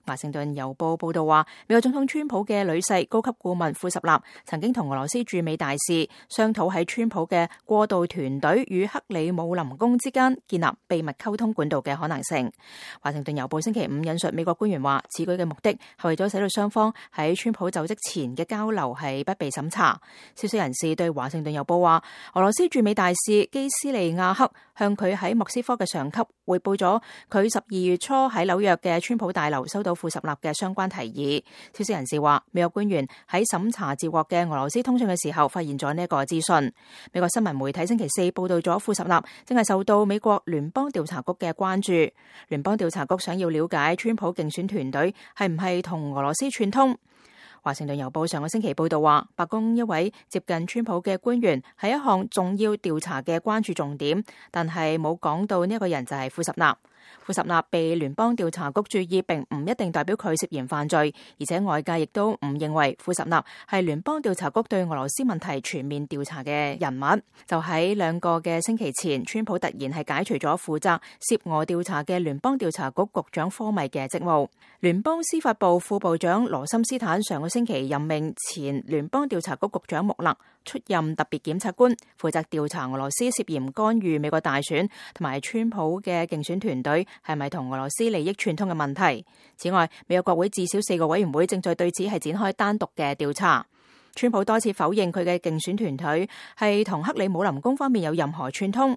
華盛頓郵報報道話，美國總統川普嘅女婿高級顧問庫什納曾經同俄羅斯駐美大使商討喺川普嘅過渡團隊與克里姆林宮之間建立秘密溝通管道嘅可能性。華盛頓郵報星期五引述美國官員話，此舉嘅目的係為咗使到雙方喺川普就職前嘅交流係不被審查。消息人士對華盛頓郵報話，俄羅斯駐美大使基斯利亞克向佢喺莫斯科嘅上級匯報咗佢12月初喺紐約嘅川普大樓收到庫什納嘅相關提議。消息人士話，美國官員喺審查接獲嘅俄羅斯通訊嘅時候，發現咗呢一個資訊。美國新聞媒體星期四報道咗庫什納正係受到美國聯邦調查局嘅關注。聯邦調查局想要了解川普競選團隊係唔係同俄羅斯串通。華盛頓郵報上個星期報道話，白宮一位接近川普嘅官員係一項重要調查嘅關注重點，但係冇講到呢一個人就係庫什納。庫什納被聯邦調查局注意，並唔一定代表佢涉嫌犯罪，而且外界亦都唔認為庫什納係聯邦調查局對俄羅斯問題全面調查嘅人物。就喺2個嘅星期前，川普突然係解除咗負責涉俄調查嘅聯邦調查局局長科米嘅職務。聯邦司法部副部長羅森斯坦上個星期任命前聯邦調查局局長穆勒出任特別檢察官，負責調查俄羅斯涉嫌干預美國大選同埋川普嘅競選團隊係咪同俄羅斯利益串通嘅問題。此外，美國國會至少4個委員會正在對此係展開單獨嘅調查。川普多次否認佢嘅競選團隊係同克里姆林宮方面有任何串通。